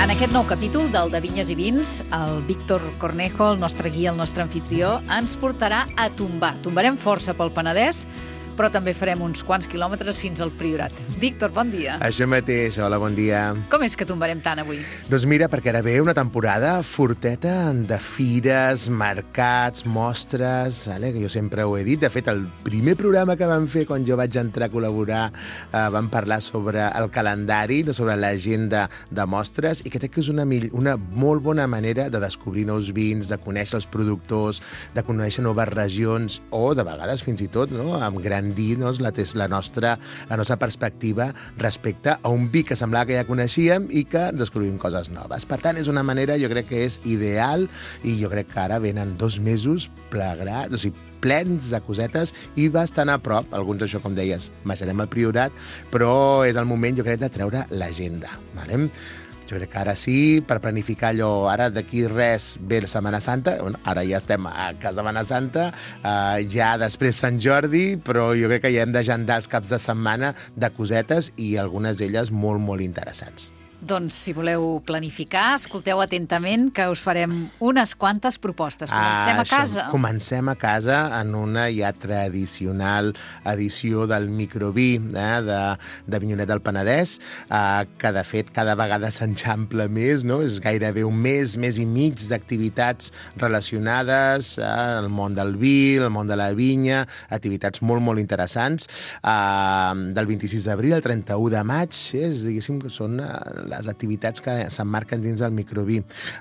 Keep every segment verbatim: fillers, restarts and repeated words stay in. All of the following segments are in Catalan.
En aquest nou capítol del de Vinyes i Vins, el Víctor Cornejo, el nostre guia, el nostre anfitrió, ens portarà a tombar. Tombarem força pel Penedès, però també farem uns quants quilòmetres fins al Priorat. Víctor, bon dia. Això mateix, hola, bon dia. Com és que tombarem tant avui? Doncs mira, perquè ara ve una temporada forteta de fires, mercats, mostres, vale? Que jo sempre ho he dit. De fet, el primer programa que vam fer quan jo vaig entrar a col·laborar eh, vam parlar sobre el calendari, sobre l'agenda de mostres, i crec que és una, una molt bona manera de descobrir nous vins, de conèixer els productors, de conèixer noves regions, o de vegades fins i tot, no?, amb gran dir no, la, la, nostra, la nostra perspectiva respecte a un vi que semblava que ja coneixíem i que descobrim coses noves. Per tant, és una manera, jo crec que és ideal, i jo crec que ara venen dos mesos plegrats, o sigui, plens de cosetes i bastant a prop, alguns d'això, com deies, baixarem al Priorat, però és el moment, jo crec, de treure l'agenda. Vale? Jo crec que ara sí, per planificar allò, ara d'aquí res ve la Setmana Santa, bueno, ara ja estem a Setmana Santa, eh, ja després Sant Jordi, però jo crec que ja hem d'agendar els caps de setmana de cosetes i algunes d'elles molt, molt interessants. Doncs, si voleu planificar, escolteu atentament que us farem unes quantes propostes. Comencem ah, a casa. Això, comencem a casa en una ja tradicional edició del microví eh, de, de Vinyonet del Penedès, eh, que de fet cada vegada s'enxampla més, no? És gairebé un mes, mes i mig d'activitats relacionades eh, al món del vi, al món de la vinya, activitats molt, molt interessants. Eh, del vint-i-sis d'abril al trenta-u de maig, eh, és, diguéssim, que són eh, les activitats que s'emmarquen dins del microví.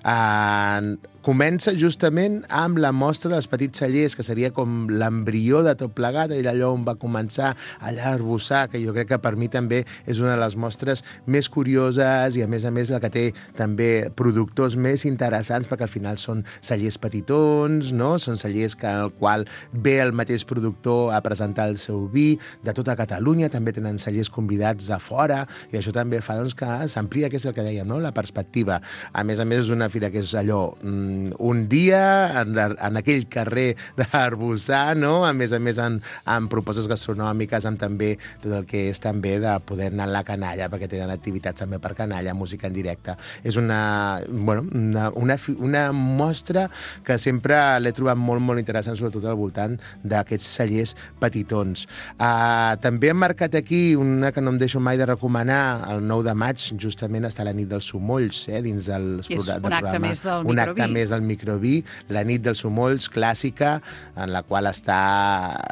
Uh, comença justament amb la mostra dels petits cellers, que seria com l'embrió de tot plegat, allò on va començar allà a arbussar, que jo crec que per mi també és una de les mostres més curioses i, a més a més, la que té també productors més interessants, perquè al final són cellers petitons, no? Són cellers que, en el qual ve el mateix productor a presentar el seu vi de tota Catalunya, també tenen cellers convidats de fora, i això també fa doncs, que s'amplia, que és el que dèiem, no? La perspectiva. A més a més, és una fira que és allò, un dia en, en aquell carrer d'Arbussar, no? A més a més, en, en propostes gastronòmiques, amb també tot el que és també de poder anar a la canalla, perquè tenen activitats també per canalla, música en directe. És una, bueno, una, una, una mostra que sempre l'he trobat molt, molt interessant, sobretot al voltant d'aquests cellers petitons. Uh, també hem marcat aquí una que no em deixo mai de recomanar, el nou de maig, justament està la nit dels Somolls, eh, dins del, és del un acte programa. Més del un microví. acte més del microví, la nit dels Somolls, clàssica, en la qual està,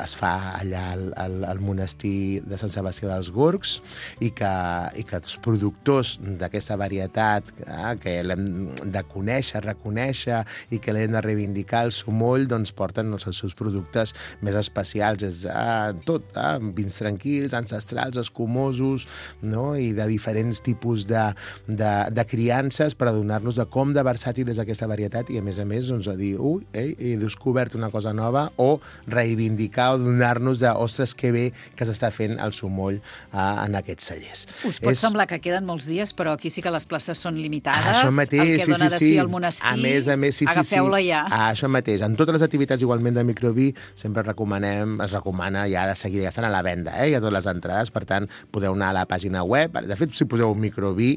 es fa allà al, al, al monestir de Sant Sebastià dels Gorgs, i que, i que els productors d'aquesta varietat, eh, que l'hem de conèixer, reconèixer, i que l'hem de reivindicar, el Somoll, doncs porten els seus productes més especials, és eh, tot, eh, vins tranquils, ancestrals, escumosos, no? I de diferents tipus de, de, de criances per adonar-nos de com de versàtil és aquesta varietat, i a més a més doncs, a dir, ui, ei, he descobert una cosa nova, o reivindicar o donar-nos de, ostres, que bé que s'està fent el Somoll eh, en aquests cellers. Us pot és... semblar que queden molts dies, però aquí sí que les places són limitades. Això mateix, el que sí, dona sí, de si sí. al monestir, a més, a més, sí, agafeu-la sí, sí. ja. Ah, això mateix. En totes les activitats igualment de microví sempre recomanem, es recomana ja de seguida, ja estan a la venda, eh? Ja totes les entrades, per tant, podeu anar a la pàgina web. De fet, si poseu microví,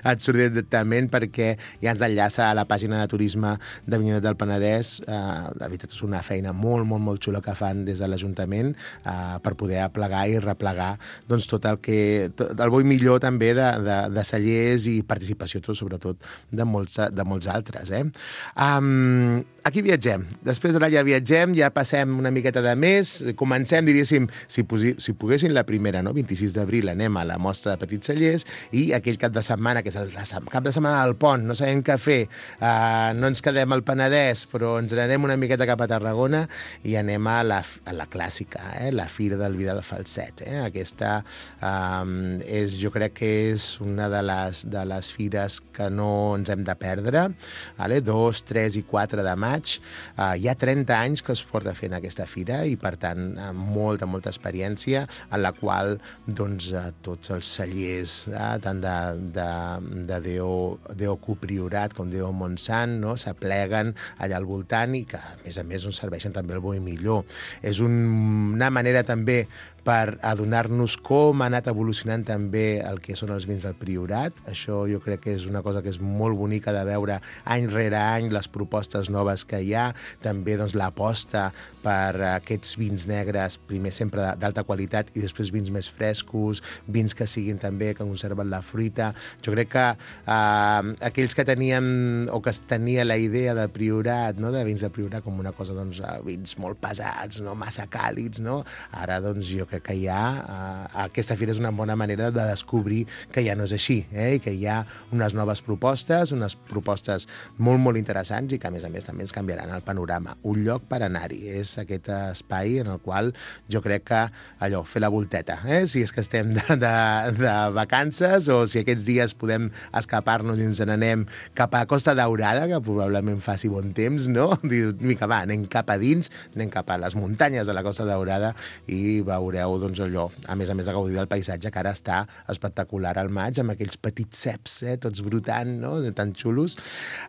et surt directament, perquè ja ens enllaça a la pàgina de turisme de Vinyonet del Penedès. Eh, la veritat és una feina molt, molt, molt xula que fan des de l'Ajuntament eh, per poder aplegar i replegar doncs, tot el que... Tot, el bo i millor també de, de, de cellers i participació, tot, sobretot, de molts, de molts altres. Eh? Um, aquí viatgem. Després ara ja viatgem, ja passem una miqueta de més, comencem, diríssim, si, posi, si poguessin la primera, no? vint-i-sis d'abril, anem a la mostra de petits cellers, i aquell cap de setmana, que és el cap de setmana del pont, no sabem què fer, uh, no ens quedem al Penedès, però ens anem una miqueta cap a Tarragona i anem a la, a la clàssica, eh? La Fira del Vi del Falset. Eh? Aquesta um, és, jo crec que és una de les, de les fires que no ens hem de perdre, vale? dos, tres i quatre de maig. Uh, hi ha trenta anys que es porta fent aquesta fira, i per tant molta, molta experiència, en la qual doncs, uh, tots els cellers, uh, tant de, de, de Déu, Déu Priorat com Déu Montsant, no? S'apleguen allà al voltant, i que a més a més ens serveixen també el bo i millor. És un, una manera també per adonar-nos com ha anat evolucionant també el que són els vins del Priorat. Això jo crec que és una cosa que és molt bonica de veure any rere any les propostes noves que hi ha, també doncs, l'aposta per aquests vins negres, primer sempre d'alta qualitat i després vins més frescos, vins que siguin també, que conserven la fruita. Jo crec que eh, aquells que teníem o que es tenia la idea de Priorat, no? de vins de Priorat com una cosa, doncs, vins molt pesats, no? massa càlids, no? Ara, doncs, jo crec que hi ha... Eh, aquesta fira és una bona manera de descobrir que ja no és així, eh? i que hi ha unes noves propostes, unes propostes molt, molt interessants i que, a més a més, també ens canviaran el panorama. Un lloc per anar-hi. És aquest espai en el qual jo crec que, allò, fer la volteta, eh? si és que estem de, de, de vacances o si aquests dies podem escapar-nos i ens n'anem cap a Costa Daurada, que probablement faci bon temps, no? Diu, mica, va, anem cap a dins, anem cap a les muntanyes de la Costa Daurada i veureu, doncs, allò, a més a més de gaudir del paisatge, que ara està espectacular al maig, amb aquells petits ceps, eh, tots brotant, no? tan xulos.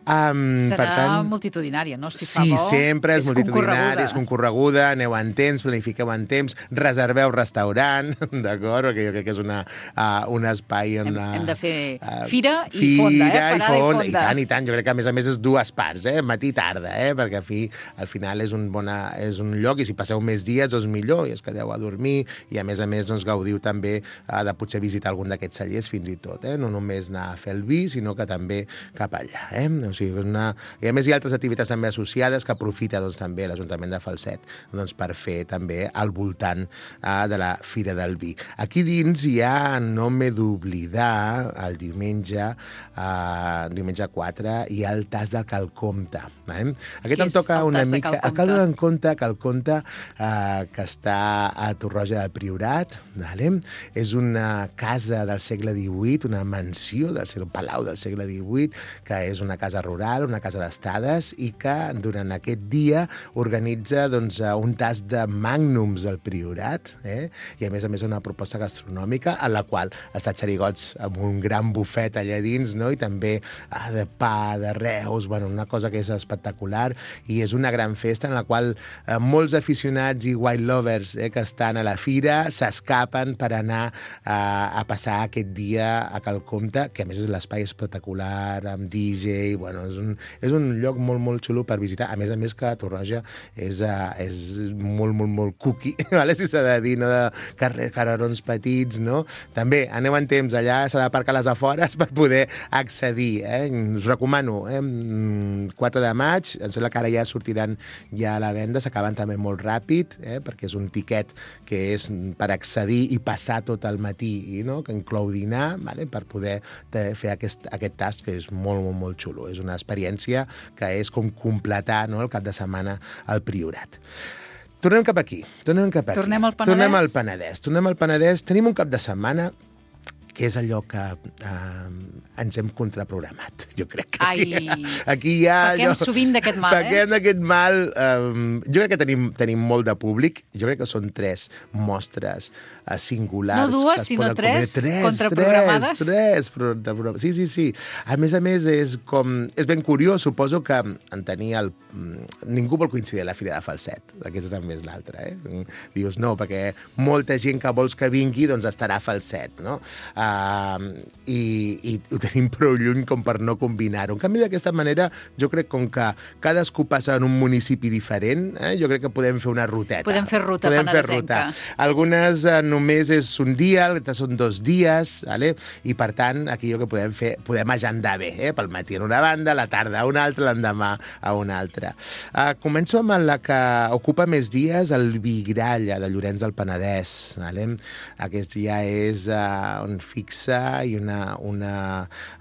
Um, Serà per tant, multitudinària, no? Si sí, fa bo, sempre és, és multitudinària, és concorreguda, aneu en temps, planifiqueu en temps, reserveu restaurant, d'acord? Perquè jo crec que és una, uh, un espai on... Hem, hem de fer uh, fira i fira fonda, eh? Parada i, fonda. i fonda. I tant, i tant. Jo crec que, a més a més, és dues parts, eh? Matí i tarda, eh? Perquè a fi, al final és un, bona, és un lloc i si passeu més dies, doncs millor, i es quedeu a dormir i, a més a més, doncs, gaudiu també uh, de potser visitar algun d'aquests cellers fins i tot, eh? No només anar a fer el vi, sinó que també cap allà, eh? O sigui, una... I a més hi ha altres activitats també associades que aprofita, doncs, també l'Ajuntament de Falset, doncs, per fer també al voltant uh, de la Fira del Vi. Aquí dins hi ha, no m'he d'oblidar, el diumenge, uh, diumenge quatre, hi ha el tas del Calcomte. Vale? Aquest em toca una mica... El Cal en compte, Calcomte, uh, que està a Torroja del Priorat, vale? És una casa del segle divuit, una mansió del segle, un palau del segle divuit, que és una casa rural, una casa d'estades, i que durant aquest dia organitza, doncs, un tas de màgnums del Priorat, eh? i a més a més una proposta gastronòmica en la qual està xerigots amb un gran bufet allà dins, no? I també ah, de pa, de reus, bueno, una cosa que és espectacular, i és una gran festa en la qual eh, molts aficionats i wine lovers eh, que estan a la fira s'escapen per anar eh, a passar aquest dia a Calcomte, que a més és l'espai espectacular, amb D J, bueno, és un, és un lloc molt, molt xulo per visitar. A més a més que Torroja és, uh, és molt, molt, molt cookie, vale? Si s'ha de dir, no? De carrer, carrerons petits, no? També, aneu en temps, allà s'ha d'aparcar a les afores per poder accedir, eh? Us recomano, eh? quatre de maig, em sembla que ara ja sortiran ja a la venda, s'acaben també molt ràpid, eh? Perquè és un tiquet que és per accedir i passar tot el matí, no? Que inclou dinar, vale? Per poder fer aquest, aquest tast, que és molt, molt, molt xulo. És una experiència que és com completar, no? El cap de setmana al Priorat. Tornem cap aquí. Tornem cap aquí. Tornem al Penedès. Tornem al Penedès. Tornem al Penedès. Tenim un cap de setmana que és allò que eh, ens hem contraprogramat. Jo crec que aquí, Ai, aquí hi ha... pequem allò, sovint d'aquest mal, pequem eh? d'aquest mal. Eh, jo crec que tenim, tenim molt de públic. Jo crec que són tres mostres eh, singulars. No dues, que es sinó poden tres, tres contraprogramades? Tres, tres. Sí, sí, sí. A més a més, és com... És ben curiós. Suposo que en tenir el... Ningú vol coincidir a la Fira de Falset. Aquesta també és l'altra, eh? Dius, no, perquè molta gent que vols que vingui, doncs estarà a Falset, no? Uh, i, i ho tenim prou lluny com per no combinar-ho. En canvi, d'aquesta manera, jo crec com que cadascú passa en un municipi diferent, eh, jo crec que podem fer una ruteta. Podem fer ruta podem fer penedesenca. ruta. Algunes eh, només és un dia, altres són dos dies, vale? I per tant, aquí jo que podem fer, podem agendar bé, eh? Pel matí en una banda, la tarda a una altra, l'endemà a una altra. Uh, començo amb la que ocupa més dies, el Vigralla de Llorenç del Penedès. Vale? Aquest ja és uh, on fixa i una, una,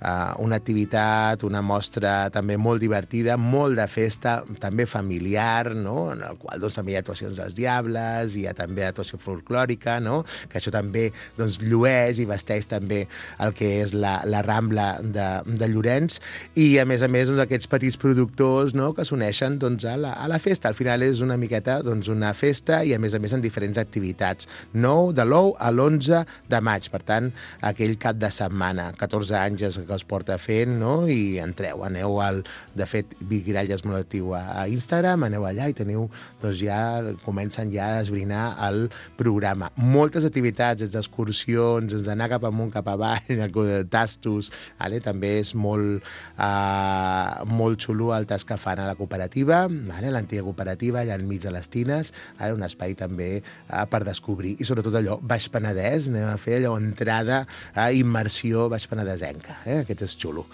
uh, una activitat, una mostra també molt divertida, molt de festa, també familiar, no? En el qual doncs, també hi ha actuacions dels Diables, hi ha també actuació folclòrica, no? Que això també doncs, llueix i vesteix també el que és la, la Rambla de, de Llorenç, i a més a més doncs, aquests petits productors, no? Que s'uneixen doncs, a, la, a la festa. Al final és una miqueta doncs, una festa i a més a més en diferents activitats. nou de l'ou a l'onze de maig, per tant, aquell cap de setmana, catorze anys viatges que es porta fent, no? I entreu, aneu al... De fet, Vic Gralla és molt actiu a, a Instagram, aneu allà i teniu, doncs ja comencen ja a esbrinar el programa. Moltes activitats, des d'excursions, des d'anar cap amunt, cap avall, tastos, vale? També és molt, uh, molt xulo el tas que fan a la cooperativa, vale? L'antiga cooperativa, allà enmig de les tines, vale? Un espai també uh, per descobrir, i sobretot allò, Baix Penedès, anem a fer allò, entrada, uh, immersió baix penedesenca, eh? Aquest és xulo.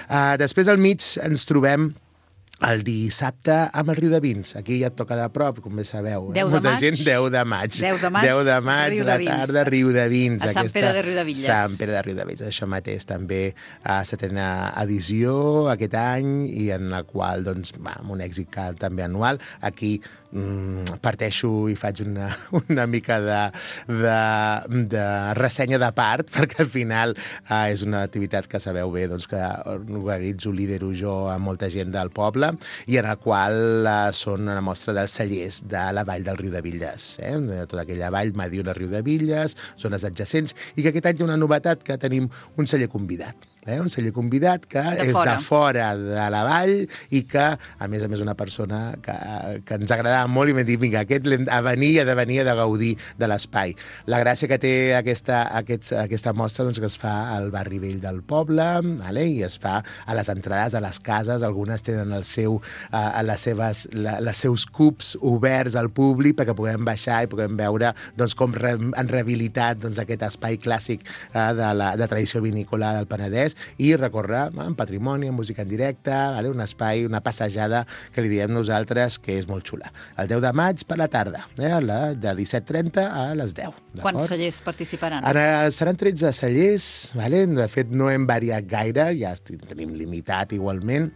Uh, després al mig ens trobem el dissabte amb el Riu de Vins. Aquí ja et toca de prop, com bé sabeu. Eh? deu de Molta maig. gent, deu de maig. deu de maig, deu de maig, Riu a la de Vins. tarda, Riu de Vins. A Sant Aquesta... Pere de Riudevilles. Sant Pere de Riudevilles. Això mateix també a setena edició aquest any, i en la qual, doncs, va, amb un èxit també anual. Aquí mm, parteixo i faig una, una mica de, de, de ressenya de part, perquè al final eh, és una activitat que sabeu bé, doncs, que organitzo, lidero jo a molta gent del poble, i en la qual eh, són una mostra dels cellers de la vall del Riudevilles. Eh? Tota aquella vall, Mediona, Riudevilles, zones adjacents, i que aquest any hi ha una novetat, que tenim un celler convidat. Eh? Un celler convidat que de és fora. de fora de la vall, i que, a més a més, una persona que, que ens agradava molt i m'ha dit, vinga, aquest l'hem a venir, ha de venir, ha de gaudir de l'espai. La gràcia que té aquesta, aquest, aquesta mostra, doncs, que es fa al barri vell del poble, vale? I es fa a les entrades de les cases, algunes tenen el seu, uh, les seves, la, les seus cubs oberts al públic perquè puguem baixar i puguem veure, doncs, com re, han rehabilitat, doncs, aquest espai clàssic uh, de la de tradició vinícola del Penedès, i recórrer en patrimoni, en música en directe, vale? Un espai, una passejada que li diem nosaltres que és molt xula. El deu de maig per la tarda, eh? La, de disset trenta a les deu. Quants cellers participaran? Ara seran tretze cellers, vale? De fet no hem variat gaire, ja tenim limitat igualment,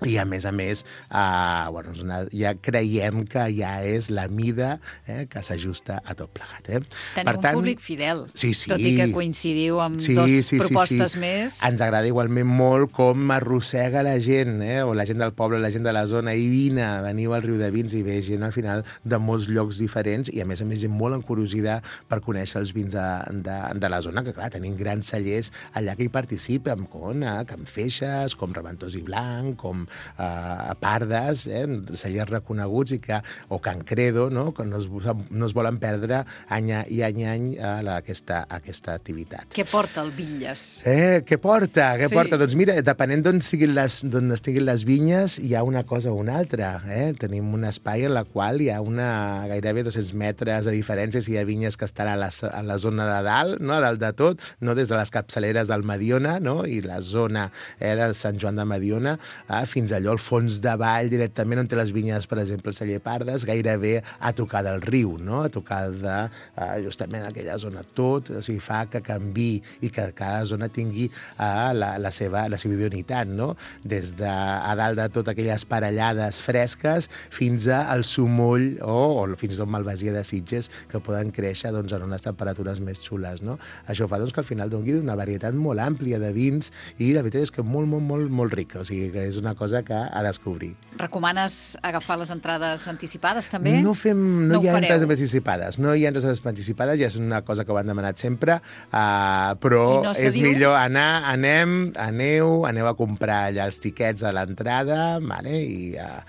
i a més a més eh, bueno, una, ja creiem que ja és la mida eh, que s'ajusta a tot plegat. Eh? Teniu per tant, un públic fidel, sí, sí. tot i que coincidiu amb sí, dos sí, propostes sí, sí. més. Ens agrada igualment molt com arrossega la gent, eh? O la gent del poble, la gent de la zona, i vine, veniu al Riu de Vins, i ve gent al final de molts llocs diferents, i a més a més gent molt encurosida per conèixer els vins de, de, de la zona, que clar, tenim grans cellers allà que hi participen, com eh, Can Feixes, com Reventós i Blanc, com eh, Pardes, eh, cellers reconeguts, i que, o Can Credo, no? Que no es, no es volen perdre any i any i any a la, aquesta, aquesta activitat. Què porta el Vinyes? Eh, què porta? Què Sí. porta? Doncs mira, depenent d'on estiguin les, d'on estiguin les vinyes, hi ha una cosa o una altra. Eh? Tenim un espai en la qual hi ha una gairebé dos-cents metres de diferència si hi ha vinyes que estan a la, a la zona de dalt, no? A dalt de tot, no? Des de les capçaleres del Mediona, no? I la zona eh, de Sant Joan de Mediona, eh, fins allò al fons de vall, directament on té les vinyes, per exemple, el celler Pardes, gairebé a tocar del riu, no? A tocar de eh, justament aquella zona tot, o sigui, fa que canvi i que cada zona tingui eh, la, la, seva, la seva idoneïtat, no? Des de a dalt de tot aquelles parellades fresques fins al sumoll o, o fins i tot Malvasia de Sitges, que poden créixer, doncs, en unes temperatures més xules, no? Això fa, doncs, que al final doni una varietat molt àmplia de vins, i la veritat és que molt, molt, molt, molt rica, o sigui, que és una cosa que ha descobrir. Recomanes agafar les entrades anticipades, també? No fem, no, No ho hi ha fareu? entrades anticipades, no hi ha entrades anticipades, ja és una cosa que ho han demanat sempre, uh, però I no se és diu? millor anar, anem, aneu, aneu a comprar allà els tiquets a l'entrada, vale? I uh,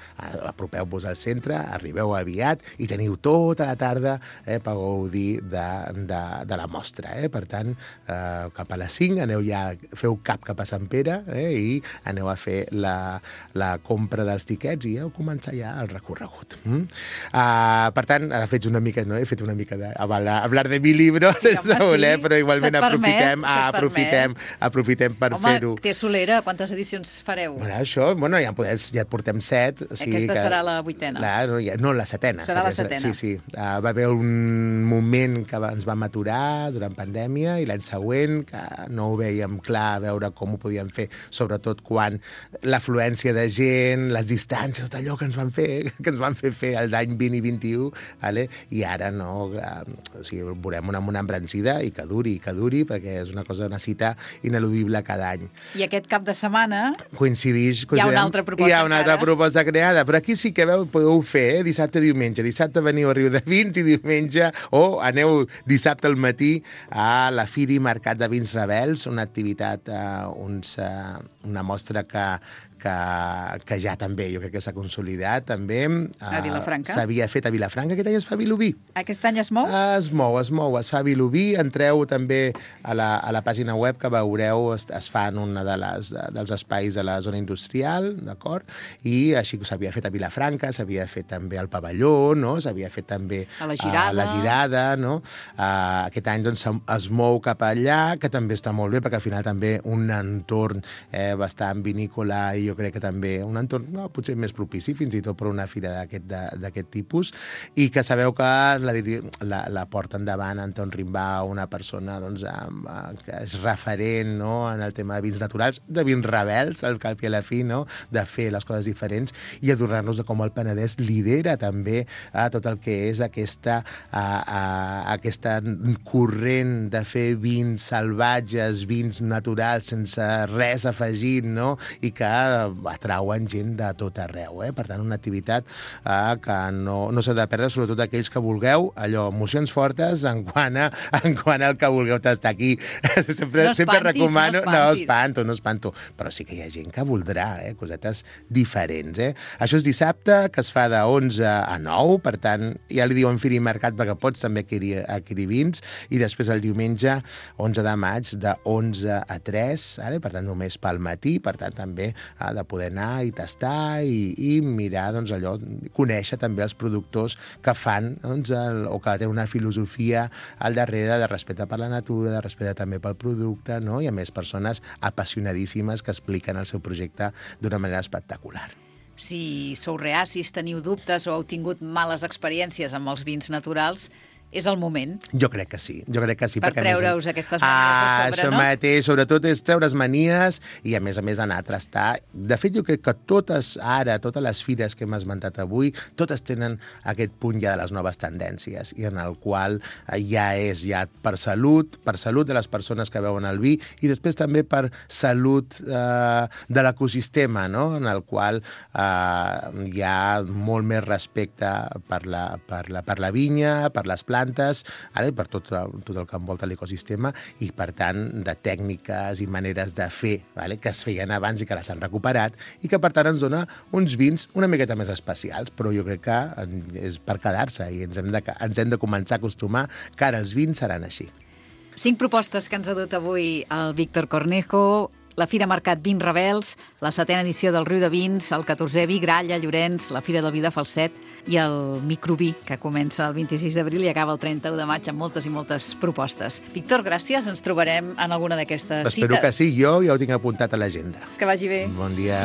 apropeu-vos al centre, arribeu aviat i teniu tota la tarda eh, per gaudir de, de, de la mostra. Eh? Per tant, uh, cap a les cinc aneu ja, feu cap cap a Sant Pere eh? I aneu a fer la, la compra dels tiquets i heu començar ja el recorregut. Mm? Uh, per tant, ara faig una mica, no? He fet una mica de hablar, hablar de mi libro, Sí, sense home, voler, sí. però igualment Se't permet, aprofitem, se't aprofitem, aprofitem per Home, fer-ho. té solera, quantes edicions fareu? Bueno, això, bueno, ja, podem, ja portem set. O sigui Aquesta que, serà la vuitena. La, no, ja, no, la setena. Serà la setena. Sí, sí. Uh, va haver un moment que ens vam aturar durant pandèmia, i l'any següent que no ho veiem clar a veure com ho podíem fer, sobretot quan l'afluència afluència de gent, les distàncies, tot allò que ens van fer, que ens van fer fer el d'any vint i vint-i-u, vale? I ara no, o sigui, veurem una, una embrancida i que duri, que duri, perquè és una cosa, una cita ineludible cada any. I aquest cap de setmana coincidix, hi ha una altra proposta hi ha una altra encara. proposta creada, però aquí sí que veu, podeu fer, eh? Dissabte, diumenge. Dissabte veniu a Riu de Vins i diumenge, o aneu dissabte al matí a la Fira i Mercat de Vins Rebels, una activitat, eh, uns, eh, una mostra que que, que ja també, jo crec que s'ha consolidat també. A Vilafranca? S'havia fet a Vilafranca, aquest any es fa a Vilobí. Aquest any es mou? Es mou, es mou, es fa a Vilobí. Entreu també a la, a la pàgina web que veureu, es, es fa en un de les, dels espais de la zona industrial, d'acord? I així que s'havia fet a Vilafranca, s'havia fet també al Pavelló, no? S'havia fet també a la Girada, a la Girada, no? Uh, aquest any doncs, es mou cap allà, que també està molt bé, perquè al final també un entorn eh, bastant vinícola i jo crec que també un entorn no, potser més propici fins i tot per una fira d'aquest tipus, i que sabeu que la, la, la porta endavant Anton Rimbau, una persona doncs, amb, que és referent no, en el tema de vins naturals, de vins rebels, al cap i a la fi, no, de fer les coses diferents i adonar-nos de com el Penedès lidera també a tot el que és aquesta, a, a, aquesta corrent de fer vins salvatges, vins naturals, sense res afegit, no? I que atrauen gent de tot arreu. Eh? Per tant, una activitat eh, que no, no s'ha de perdre, sobretot aquells que vulgueu, allò, emocions fortes en quant, a, en quant al que vulgueu estar aquí. Sempre, no sempre espantis, recomano... no, no espanto, no espanto. Però sí que hi ha gent que voldrà, eh? Cosetes diferents. Eh? Això és dissabte, que es fa de onze a nou, per tant, ja li diuen Fira i Mercat perquè pots també adquirir, adquirir vins, i després el diumenge, onze de maig, de onze a tres, eh? Per tant, només pel matí, per tant, també ha de poder anar i tastar i, i mirar, doncs, allò, conèixer també els productors que fan, doncs, el, o que tenen una filosofia al darrere de respecte per la natura, de respecte també pel producte, no? I a més persones apassionadíssimes que expliquen el seu projecte d'una manera espectacular. Si sou reacis, teniu dubtes o heu tingut males experiències amb els vins naturals, és el moment. Jo crec que sí, jo crec que sí. Per treure-us aquestes manies ah, de sobre, això no? Això mateix, sobretot és treure's manies i, a més a més, anar a trastar. De fet, jo crec que totes, ara, totes les fires que hem esmentat avui, totes tenen aquest punt ja de les noves tendències, i en el qual ja és ja per salut, per salut de les persones que beuen el vi, i després també per salut eh, de l'ecosistema, no? En el qual eh, hi ha molt més respecte per la, per la, per la vinya, per les plantes, plantes, ara, per tot, tot el que envolta l'ecosistema, i per tant de tècniques i maneres de fer, vale? Que es feien abans i que les han recuperat, i que per tant ens dona uns vins una miqueta més especials, però jo crec que és per quedar-se i ens hem de, ens hem de començar a acostumar que ara els vins seran així. Cinc propostes que ens ha dut avui el Víctor Cornejo: la Fira Mercat Vins Rebels, la setena edició del Riu de Vins, el catorzè vi Gralla, Llorenç, la Fira del Vi de Falset i el Microví, que comença el vint-i-sis d'abril i acaba el trenta-u de maig amb moltes i moltes propostes. Víctor, gràcies. Ens trobarem en alguna d'aquestes cites. Espero que sí. Jo ja ho tinc apuntat a l'agenda. Que vagi bé. Bon dia.